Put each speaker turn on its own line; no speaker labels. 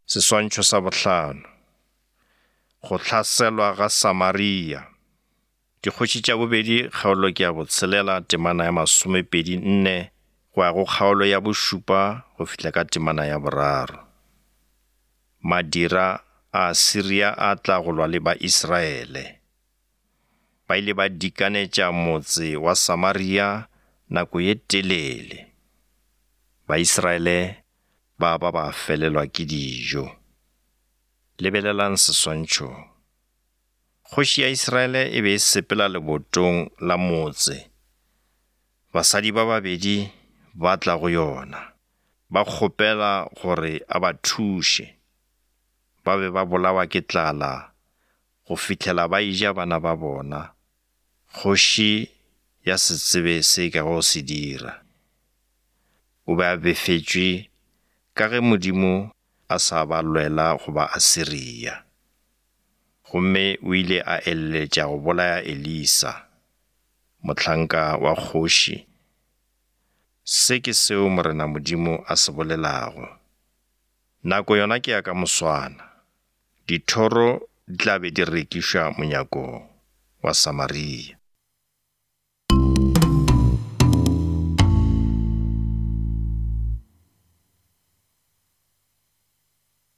Seswantšho sa bohlano. Go hlaselwa ga Samaria. Dikgoši tša bobedi kgaolo ke ya botshelela temana ya masomepedi nne go ya go kgaolo ya bošupa go fihla ka temana ya boraro. Madira a Asiria a tla go lwa le Baisraele. Ba ile ba dikanetša motse wa Samaria nako ye telele. Baisraele ba ba ba felelwa ke dijo. Lebelelang seswantšhong. Kgoši ya Israele e be e sepela lebotong la motse. Basadi ba babedi ba tla go yona, ba kgopela gore a ba thuše. Ba be ba bolawa ke tlala go fihlela ba eja bana ba bona. Kgoši ya se tsebe se e kago se dira. O be a befetšwe ka ge Modimo a sa ba lwela go Baasiria. Gomme o ile a eleletša go bolaya Elisa, mohlanka wa kgoši. Se ke seo Morena Modimo a se bolelago. Nako yona ke ya ka moswana. Dithoro di tla be di rekišwa monyakong wa Samaria.